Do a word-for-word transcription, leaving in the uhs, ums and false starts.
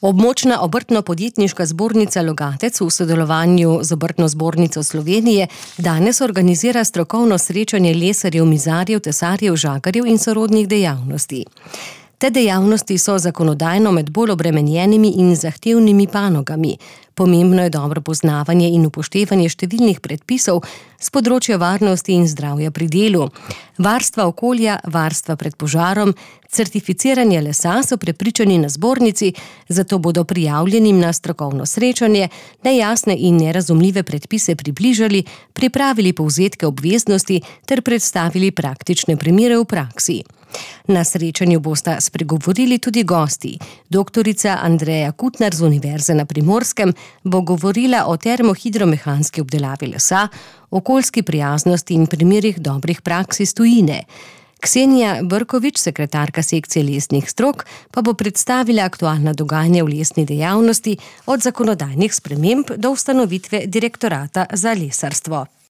Območna obrtno-podjetniška zbornica Logatec v sodelovanju z Obrtno zbornico Slovenije danes organizira strokovno srečanje lesarjev, mizarjev, tesarjev, žagarjev in sorodnih dejavnosti. Te dejavnosti so zakonodajno med bolj obremenjenimi in zahtevnimi panogami. Pomembno je dobro poznavanje in upoštevanje številnih predpisov s področja varnosti in zdravja pri delu. Varstva okolja, varstva pred požarom, certificiranje lesa so prepričani na zbornici, zato bodo prijavljenim na strokovno srečanje nejasne in nerazumljive predpise približali, pripravili povzetke obveznosti ter predstavili praktične primere v praksi. Na srečanju bosta spregovorili tudi gosti. Doktorica Andreja Kutnar z Univerze na Primorskem bo govorila o termohidromehanski obdelavi lesa, okoljski prijaznosti in primerih dobrih praks iz tujine. Ksenija Brkovič, sekretarka sekcije lesnih strok, pa bo predstavila aktualna dogajanja v lesni dejavnosti od zakonodajnih sprememb do ustanovitve direktorata za lesarstvo.